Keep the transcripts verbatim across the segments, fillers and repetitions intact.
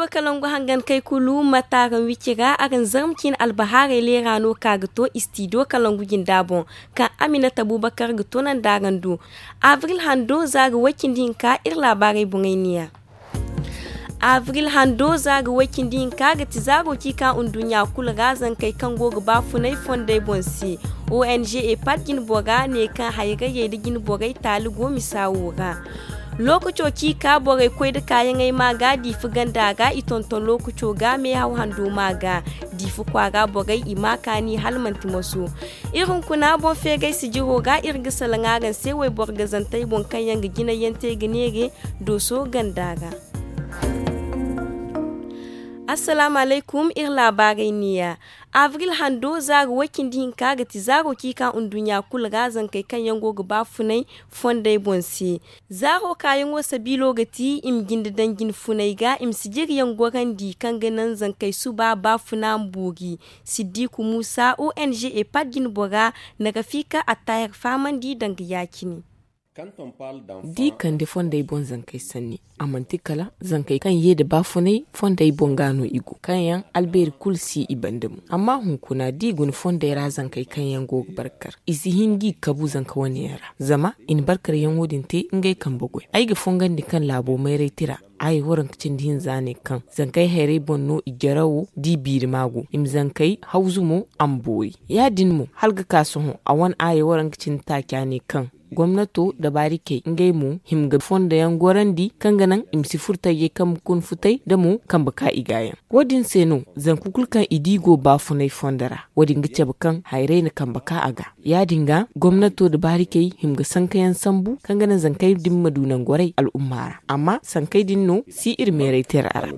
Kalangu hangan kay kulu mata araŋ wicira araŋ zarma ciine albahaarey leera no ka ga to istidiyo kalangu jinda boŋ, kaŋ aminata bubakar ga to nanda araŋ do. Abril hando za ga way cindi hinka iri laabaarey boŋey niya. Abril hando za ga way cindi hinka ga ti zaaro ci ka nduɲɲa kulu ra zankey kaŋ go ga ba funay fondey boŋ se. Ong epad jinbora ne kaŋ hayrayey nda jinborey taali go misa wo ra. Lookaco ci ka borey koy nda kaayaŋey ma ga diifa ganda ra i tonton lookaco ga meehaw hando ma ga diifa kwaara borey i ma kaani hala manti moso. Iri hunkuna boŋ feegay sijiro ga iri ga salaŋ araŋ se wayboro gazantey boŋ kaŋ yaŋ ga jinayaŋ te ga neere dooso ganda ra. Assalaamu alaykum iri laabaarey niya. Abril hando zaaro way cindi hinka ga ti zaaro ci ka nduɲɲa kulu ra zankey kaŋ yaŋ go ga ba funay fondey boŋ se. Zaaro kaayaŋo sabiilo ga ti i ma jinde daŋ jine funey ga i ma sijiriyaŋ gorandi kaŋ ga naŋ zankey suba ba funa ma boori. Siddiku muusa ong epad jinbora na rafika attahir fahamandi danga ya-cine. D'i kande fondey boŋ zankey sanni, a manti kala zankey kaŋ ye nda baafunay fondey boŋ ga no i go kaŋ yaŋ albeeri kulu si i banda mo. Amma hunkuna d'i guna fondey ra zankey kaŋ yaŋ go ga barkar i si hin g'i kabu zanka wane yaŋ ra. Zama i na barkaryaŋo din te ngey kambe goy. Ay ga fongandi kaŋ laabo mayray tira aaya waranka cindi hinza ne kaŋ zankey hayray boŋ no i jarawo d'i biiri ma go i ma zankey hawzu mo a ma boori. Ya-din mo hala ga ka sohõ a wane aaya waranka cindi taaca ne kaŋ gomnato da baarikey ngey mo hima ga fondo yaŋ gorandi kaŋ ga naŋ i ma si furo tajey kaŋ ga kun futay da mo kambe ka i ga yaŋ. Wo- din se no zanka kulu kaŋ i di go baafunay fondo ra wo- din ga cabe kaŋ hayray na kambe ka a ga. Ya- din ga gomnato da baarikey hima ga sanka yaŋ sambu kaŋ ga naŋ zankey din ma du nangu waray al'umma ra. Amma sankey din no si iri meeray tira ra.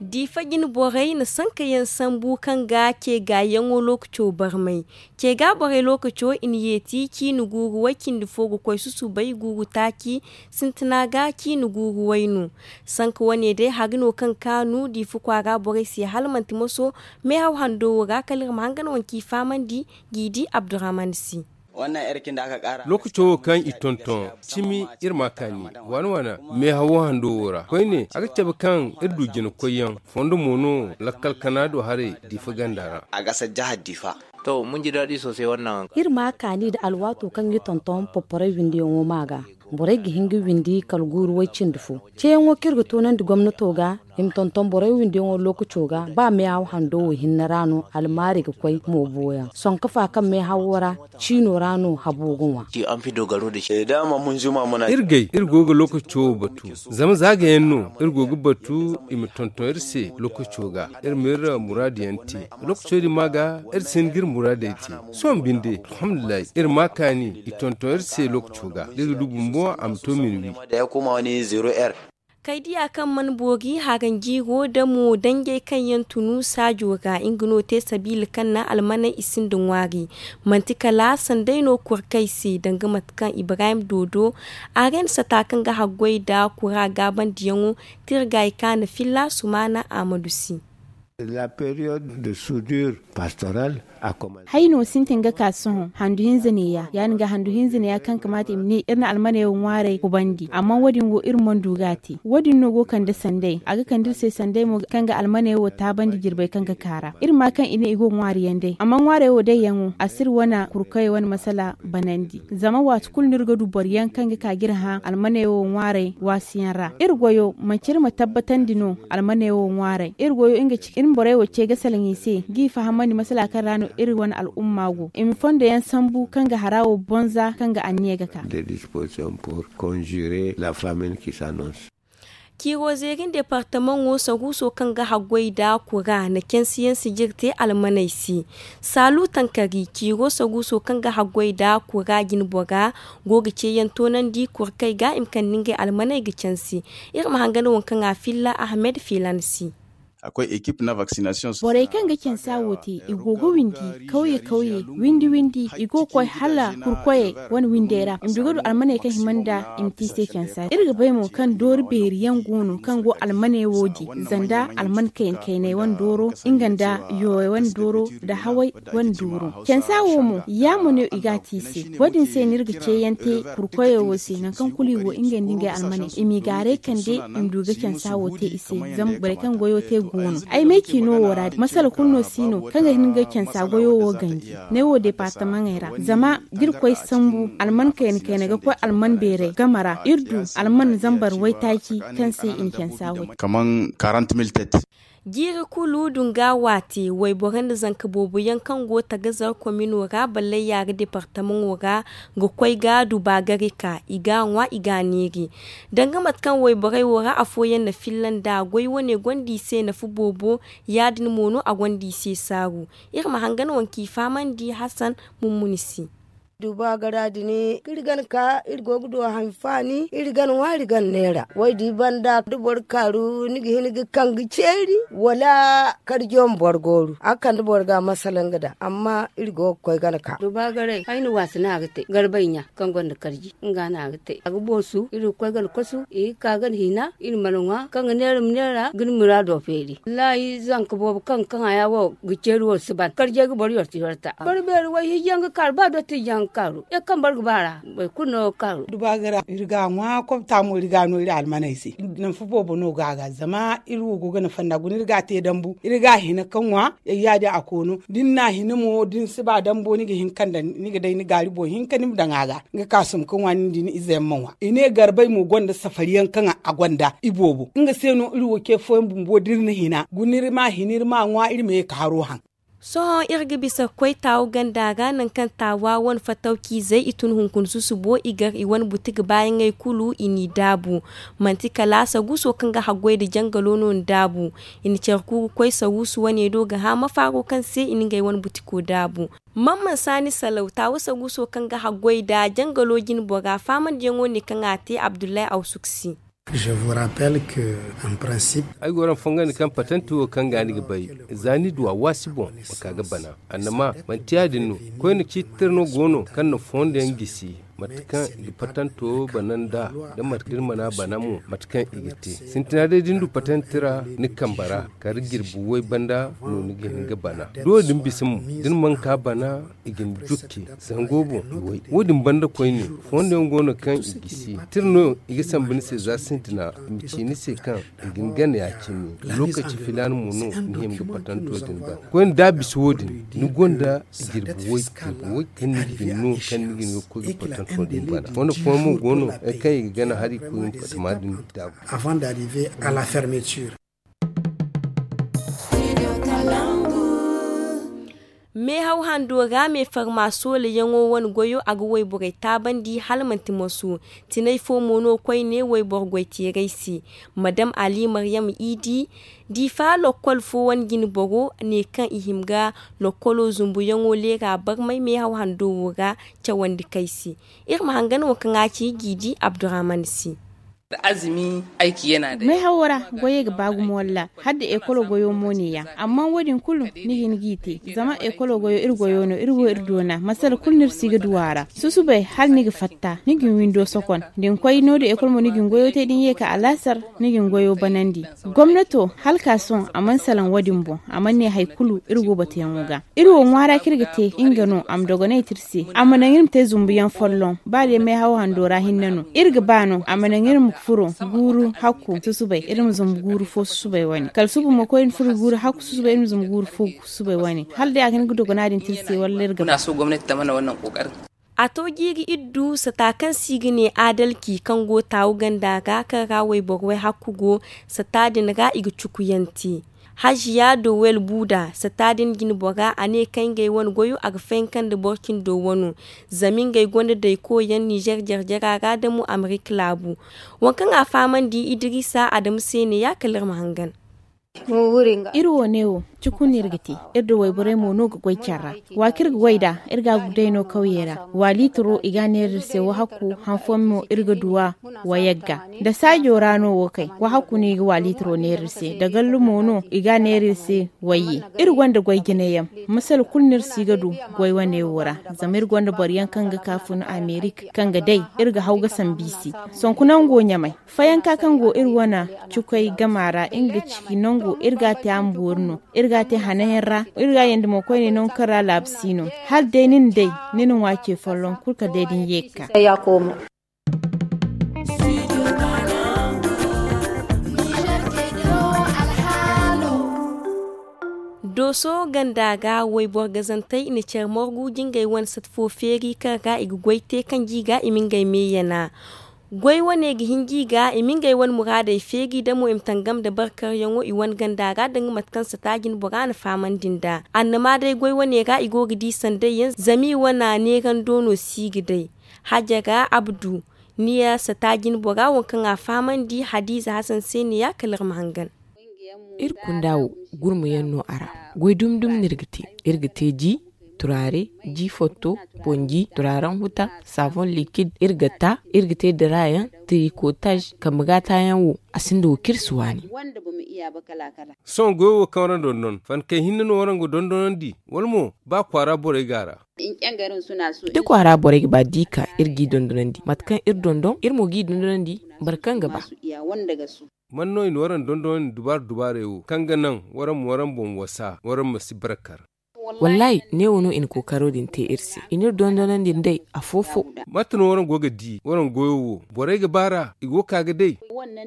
Diifa jine borey na sankayaŋ sambu kaŋ ga ce gaayaŋo lookaco barmay. Ce ga borey lookaco i na yeeti ciine guuru way cindi fo ga koy susubay guuru taaci sintina ga ciine guuru way no. Sanka wane day hari no kaŋ kaanu diifa kwaara borey se hala manti moso meehaw hando wo ra kala iri ma hangan waŋ ci fahamandi g'i di abdurrahman si. Lookaco wo kaŋ i tonton cimi iri ma kaani waana waana meehawo hando wo ra koyne a ga cabe kaŋ iri du jina koyyaŋ fondo mo no lakkal kana do haray diifa ganda ra. A ga sajjaha diifa. To mun ji daɗi sosai wannan. Iri ma kaani nda alwaato kaŋ i tonton porporey windiyaŋo ma ga borey ga hin ga windi kala guuru way cindi fo. Ceeyaŋo kaŋ iri ga toonandi gomnato ga i ma tonton borey windiyaŋo lookaco ga ba meehaw hando wo hinne ra no almaari ga koy moobo yaŋ sonka fa kaŋ meehawo ra ciino ra no habo ga ŋwa. Iri gay iri go ga lookaco wo batu zama za ga yaŋ no iri go ga batu i ma tonton iri se lookaco ga iri ma iri muraadu yaŋ te. Lookaco din ma ga iri si hin ga iri muraadey te. Sohõ binde alhamdulillahi iri ma kaani i tonton iri se lookaco ga da iri ga du bumbo a ma to minuwi. Kay diya kaŋ mana boori haranjiiro da mo danjey kaŋ yaŋ tunu saajo ra nga no te sabiila kaŋ naŋ almaney i sinda ŋwaari. Manti kala sanday no kurkey se danga mate kaŋ ibrahim doodo a ga ay na sata kaŋ ga haggoy nda kura gaabandiyaŋo tirgay kaana filla sumaana ahmadu si. Hayno sintin ga ka sohõ handu hinza neeya ya- din ga handu hinza neeya kaŋ kamaata i ma ne iri na almaney wo ŋwaaray kubandi amma wo- din wo iri mana du ga a te wo- din no go kande sanday a ga kande iri se sanday mo kaŋ ga almaney wo taabandi jirbey kaŋ ga ka ra iri ma kaŋ i ne i go ŋwaari yaŋ day amma ŋwaarey wo day yaŋo a si iri wane kurkey wane masala banandi zama waati kulu no iri ga du boro yaŋ kaŋ ga ka ga iri hã almaney wo ŋwaaray waasi yaŋ ra iri goyo manci iri ma tabbatandi no almaney wo ŋwaaray iri goyo nga ci iri ma borey wo ce ga salaŋ i se g'i fahamandi masala kaŋ ra no iri wane al'umma go i ma fondo yaŋ sambu kaŋ ga hara wo bonza kaŋ ga anniya ga ka. Ciiro zeerin departamaŋo saruuso kaŋ ga haggoy nda kura na cansiyaŋ sijir te almaney se. Saalu tankari ciiro saruuso kaŋ ga haggoy nda kura jinbora go ga ceeyaŋ toonandi kurkey ga i ma kande ngey almaney ga cansi. Iri ma hangan waŋ kaŋ a filla ahmed filan se. A koy ekip na vaksinasiyoŋ. Borey kaŋ ga cansa wo te, i go ga windi kawye kawye, windi windi, i go ga koy hala kurkoyey wane windey ra. I ma du ga du almaney kaŋ hima nda i ma te i se cansa. Iri ga bay mo kaŋ doori beeri yaŋ go no kaŋ go almaney wo di, zanda alman kayna kaynay wane dooro, nga nda yooyey wane dooro, nda haway wane dooro. Cansa wo mo, yaamo no i ga a te i se. Wo- din se no iri ga ceeyaŋ te kurkoyey wo se, nangu kaŋ kulu i go, ngey nda ngey almaney, i m'i gaaray kande, i ma du ga cansa wo te i se. Zama borey kaŋ goyo te go no. Ay ma ay ci no wo ra, masala kulu no si no kaŋ ga hin ga cansa goyo wo ganji. Ne wo departamaŋey ra, zama da iri koy sambu alman kayna kayna ga koy alman beeray game ra, iri du alman zambar waytaaci kaŋ se i na cansa wo te. Kaman quarante mille têtes. Jiiri kulu dunga waate, wayboro nda zanka boobo yaŋ kaŋ go tagazar komino ra, ballayya ga departamaŋo ra, ga koy ga du baagari ka, i ga a ŋwa, i ga a neeri. Danga mate kaŋ wayborey wo ra afooyaŋ na filla nd'a, goy wane gonda i se nafa boobo, ya- din mo no a gonda i se saaru. Iri ma hangan wane kaŋ i fahamandi Hassan Mummuni se. Duba gara din, iri gana ka iri go ga du hanfaani, iri gana ŋwa, iri gana neera. Wo- din banda da boro kaaru, ni ga hin ga kaŋ ga ceeri, wala karjo ma boro gooru. A ga kande boro ga masala nga da, amma iri go ga koy gana ka. Duba garay, ay na waasi no a ga te, garbay ɲa kaŋ gonda karji, nga no a ga te. A ga boosu, iri ga koy gana kosu, i ga ka gana hina, iri mana ŋwa, kaŋ ga neera ma neera, ga ni muraado feeri. Wallaahi, zanka boobo kaŋ ga kaŋ haya wo ga ceeri wo si ban. Karjey ga boro yorti yorta. Boro beeri way hinjaŋ ga kaaru, ba dotti hinjaŋ ga kaaru. Ya kaŋ boro ga ba ra, boro kulu no ga kaaru. Duba ga ra, iri ga a ŋwa, kobta mo iri ga a no iri almaney se. Nafa boobo no go a ga, zama iri wo go ga nafa nd'a. Guna iri ga a te dambu, iri ga a hina ka ŋwa, ya- yaadin a koono. Da ni n'a hina mo, da ni si ba dambo, ni ga hin ka daŋ, ni ga day ni gaari boŋ hinka ni ma daŋ a ga. Nga ka sum ka ŋwa, nin da ni ize yaŋ ma ŋwa. I ne garbay mo gonda safari yaŋ kaŋ a gonda iboobo. Nga se no iri wo ce fooyaŋ bumbo da iri na hina, guna iri ma hina, iri ma ŋwa, iri ma ye ka haro haŋ. Sohõ iri ga bisa ga koy taawu ganda ra, nangu kaŋ taawa wane fatawciizey i tun hunkuna susubo, i gar i wane buti ga baayaŋey kulu, i n'i daabu. Manti kala saguuso kaŋ ga haggoy nda jangalo no ni daabu. I na care ku ga koy saguusu wane do ga hã mafaaro kaŋ se i na ngey wane butiko daabu. Mamman Saani Salaw, taawa saguuso kaŋ ga haggoy nda jangalo jine bora, faamandiyaŋo ne kaŋ a te Abdullahi Awsuk se. Je vous rappelle que, en principe, ay go araŋ fongandi kaŋ patenti wo kaŋ ga ni ga bay, za ni du a waasi boŋ, ma ka ga bana. Annama, manti yaadin no. Koyne ciiti tira no go no kaŋ na fondo yaŋ gisi, mate kaŋ i ga patanto bana nd'a, da mate kaŋ iri mana bana mo, mate kaŋ i ga te. Sintina day da ni du patanti tira ni kambe ra, kala jirbi way banda no ni ga hin ga bana. Da wo-din bisa mo, da ni mana ka bana, i ga ni jukki, zango boŋ i way. Wo-din banda koyne, fondo yaŋ go no kaŋ i gisi. Tira no i ga sambu ni se za sintina, i ma ci ni se kaŋ i ga ni gana ya-cine. Lokaci filaana mo no ni hima ga patanto din bana. Koyne da a bisa wo-din, ni gonda jirbi way, jirbi way kaŋ ni ga hin no, kaŋ ni ga hin ga koy ga patanto din bana. Fondo fooyaŋ mo go no, kaŋ i ga gana hari ga koy ga patama din daabu. Avant d'arriver à la fermeture. Meehaw hando ra, me farma soola yaŋo wane goyo, a ga wayborey taabandi hala manti moso. Tinay fo mo no koyne wayboro goyteerey se. Madam Ali Maryam Idi, Difa lokkol fo wane jinboro ne kaŋ i hima ga lokkolo zumbuyaŋo leera barmay meehaw hando wo ra cawandi kay se. Iri ma hangan wo kaŋ a ci Jiidi Abdurrahman se. Meehawo ra goyey ga ba gumo walla hala da ekolo goyo mo ne ya. Amma wo- din kulu ni ga hin g'i te, zama ekolo goyo iri goyo no, iri wo iri doona, masala kulu no iri si ga du a ra. Susubay hala ni ga fatta, ni ga ni windo sokon. Da ni koy no- din ekolo mo ni ga ni goyo te, da ni ye ka alaasar, ni ga ni goyo banandi. Gomnato hala ka sohõ a mana salaŋ wo- din boŋ, a mana ne hari kulu iri go batuyaŋo ga. Iri wo ŋwaara kaŋ iri ga te, nga no a ma dogonay te iri se. A ma naŋ iri ma te zumbuyaŋ folloŋ, ba day meehaw hando ra hinne no. Iri ga ba no a ma naŋ iri ma furo guuru hakku susubay, iri ma zumbu guuru fo susubay wane. Kala suba mo koy iri ma furo guuru hakku susubay, iri ma zumbu guuru fo susubay wane. Hala day a ga hin ga dogona din te iri se, walla iri ga ba. A to jiiri iddu sata kaŋ se i ga ne adalci kaŋ go taawu ganda ga, kaŋ ra wayboro way hakku go, sata din ra i ga cukuyaŋ te. Hajiya Dowel Buda, sata din jinbora, a ne kaŋ ngey wane goyo a ga fayanka nda boro cindo wano, zama ngey gonda daykoyaŋ Nizer jarjara ra da mo Amerika laabu. Waŋ kaŋ a fahamandi Idirisa Adamu se ne ya, kala iri ma hangan. Iri wo ne wo, Cukun no iri ga te. Iri da wayborey mo no ga goy care ra. Wa kaŋ iri ga way nd'a, iri ga a day no kawyey ra. Wa liitiro i ga a neera iri se wahakku. Han fooyaŋ mo iri ga du a wayagga. Da saajo ra no wo kay, wahakku no i ga wa liitiro neera iri se. Da gallu mo no i ga a neera iri se wayye. Iri gonda goy jine yaŋ. Masala kulu no iri si ga du goy wane wo ra. Zama iri gonda boro yaŋ kaŋ ga ka fun amerik kaŋ ga day. Iri ga haw ga sambu i se. Sonku nango ɲamay. Fayanka kaŋ go iri wane cukay gama ra nga ga ci nango iri ga a te a ma boori no. Iri ga a te hanayaŋ ra. Iri ga a yandi mo koyne nangu kaŋ ra laabu si no. Hala day ni na day, ni na ŋwa ce folloŋ kulu kala day da ni ye ga ka. Dooso ganda ga wayboro gazantey i na care morgu jingay wane sata fo feeri kaŋ ra i ga goy te kaŋ ji ga i ma ngey me yana. Goy wane ga hin ji ga i ma ngey wane muraadey feeri damo i ma tangam nda barkaryaŋo i wane ganda ra danga mate kaŋ sata jine bora na fahamandi nd'a. Annama day goy wane ra i go ga di sanday yaŋ zama i wane neerando no si ga day. Hajara abdu, ni ya sata jine bora waŋ kaŋ a fahamandi hadiza hasan se ne ya kala iri ma hangan. Iri kunda wo, gurma yaŋ no a ra. Goy dumi dumi no iri ga te. Iri ga te ji, turaare, ji fotto, ponji, turaaren huta, saavon likid. Iri ga ta, iri ga te dara yaŋ, tirikotaj, kambe gaata yaŋ wo, a sinda wo kaŋ iri si waani. Sohõ goyo wo kaŋ ra dondon fankey hinne no waraŋ ga dondonandi, wala mo ba kwaara borey go a ra? Da kwaara borey ga ba da i ka, iri g'i dondonandi mate kaŋ iri dondon iri mo g'i dondonandi. Boro kaŋ ga ba. Man no i na waraŋ dondonandi dubaara dubaarey wo kaŋ ga naŋ waraŋ ma waraŋ boŋ wasa waraŋ ma si barkar? Wallaahi, neewo no i na kookaro din te iri se. I n'iri dondonandi nda day afo-fo. Mate no waraŋ go ga di waraŋ goyo wo? Borey ga baar'a i go ga ka ga day.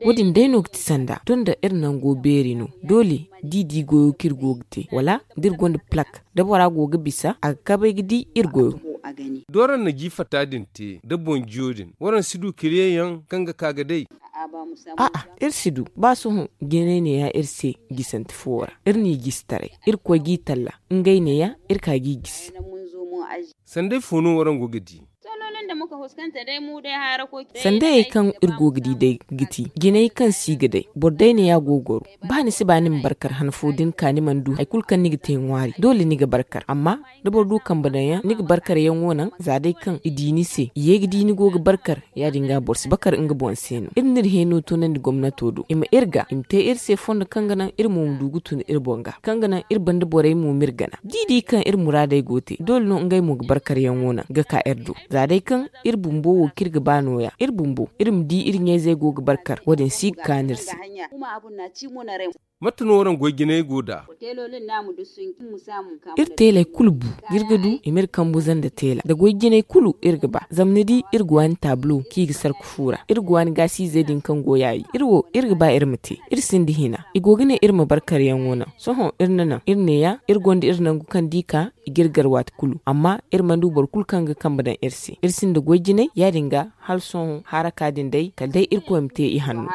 Wo-din day no ga ti sanda tun da iri nango beeri no. Doole d'i di goyo kaŋ iri go ga te wala da iri gonda plak, da bora go ga bisa a ga kabay ga di iri goyo. Da waraŋ na ji fatta din te da boŋ jiyo din waraŋ si du kiliyeŋ yaŋ kaŋ ga ka ga day? A'a, iri si du. Ba sohõ jinay neeya iri se gisante fuwo ra. Iri n'i gisi taray. Iri koy g'i talla. Ngey neeya iri ka g'i gisi. Sanday fo no waraŋ go ga di? Sandayey kaŋ iri go ga di day ga ti jinay kaŋ si ga day. Boro day neeya go ga goro. Ba ni si ba ni ma barkar han fo da ni ka ni mana du hari kulu kaŋ ni ga te ŋwaari doole ni ga barkar amma da boro du kambe daŋ yaŋ ni ga barkar yaŋo naŋ za day kaŋ i di ni se i ye ga di ni go ga barkar. Ya- din ga boro si bakar nga boŋ se no iri n'iri heeno tunandi gomnato do i ma iri ga i ma te iri se fondo kaŋ ga naŋ iri mo ma du ga tun iri boŋ ga kaŋ ga naŋ iri banda borey mo m'iri gana d'i di kaŋ iri muraadey go te doole no ngey mo ga barkar yaŋo naŋ ga ka iri do. Za day kaŋ iri bumbo wo kaŋ iri ga ba nooya iri bumbo iri ma di iri ɲayzey go ga barkar wo- din si ga kaanu iri se. Mate no waraŋ goy jinay go nd'a? Iri teeley kulu bu da iri ga du i m'iri kambu zanda teela da goy jinay kulu iri ga ba zama ni di iri ga waani taabulo kaŋ i ga sarku fu ra iri ga waani gaasiizey din kaŋ go yaayi iri wo iri ga ba iri ma te. Iri sinda hina i go ga ne iri ma barkaryaŋo naŋ. Sohõ iri na naŋ iri neeya iri gonda iri nangu kaŋ da i ka i g'iri gar waati kulu amma iri mana du boro kulu kaŋ ga kambe daŋ iri se iri sinda goy jinay ya- din ga hala sohõ haraka din day kala day irkoy ma te i hanno.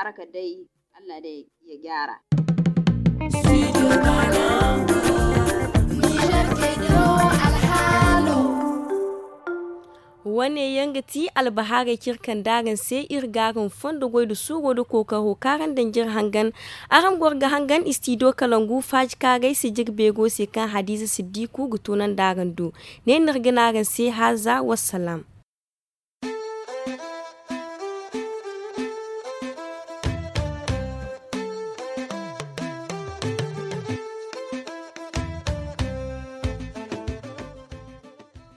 Wane yaŋ ga ti albahaarey kaŋ iri kande araŋ se iri ga araŋ fondo goy nda suuro nda kookaro kaŋ araŋ daŋ jire hangan. Araŋ goro ga hangan istido kalangu faaji kaaray sijiri beego se kaŋ hadiza siddiku ga toonandi araŋ do. Ne no iri ga ne araŋ se haaza wassalaam.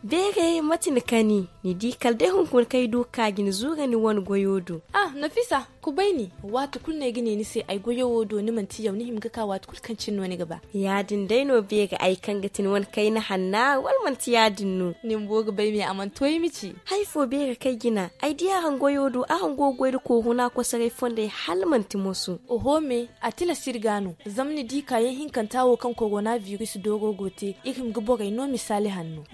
Beere mate ni kani ni di kala day hunkuna kaŋ ay du ga ka jina zuura ni wane goyo do. Ah, nafisa, kubay ni. Waati kulu no ay ga ne ni se ay goyo wo do ni manti yaw ni hima ga ka waati kulu kaŋ cine no ni ga ba. Ya- din day no beere ay kaŋ ga ti ni wane kayna hanna wala manti ya- din no? Ni bumbo ga bay me a mana to ay ma ci. Hari fo beere kaŋ ay jina ay di araŋ goyo do araŋ go ga goy nda kooru no a kosoray fondey hala manti moso. Oho me, a tilas iri ga no. Zama ni di kaayaŋ hinkanta wo kaŋ korona biris dooro go te iri hima ga borey no misaali hanno.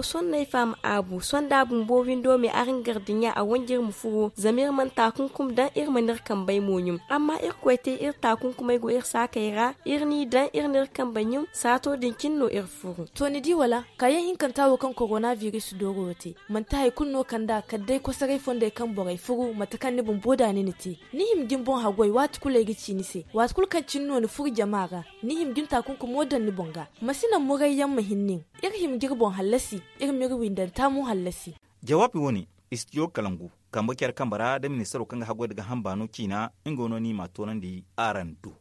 Sohõ no ay faham aabu sohõ da a bumbo windo me araŋ gardiɲa a wanji iri ma furo zama iri mana taakunkumi daŋ Iri mana iri kambey mo ɲum, amma irkoy te iri taakunkumey go iri saakey ra. Iri n'i daŋ iri n'iri kambey ɲum, saato din cine no iri furu. To ni di wala? Kaayaŋ hinkanta wo kaŋ korona biris dooro wo te, manti hari kulu no kand'a kala day kosoray fondey kaŋ borey furu mate kaŋ ni bumbo da ni na te. Ni hima ga ni boŋ haggoy waati kulu ay ga ci ni se, waati kulu kaŋ cine no ni furu jama ra, ni hima ga ni taakunkumo daŋ ni boŋ ga. Ma si naŋ muray yaŋ ma hin nin. Iri hima ga iri boŋ hallasi, iri m'iri windanta mo hallasi. Jawaabi wo- ne, istidiyo kalangu, kambe care kambe ra da ministaro kaŋ ga haggoy nda ga hamba no ciina, nga no ni m'a toonandi araŋ do.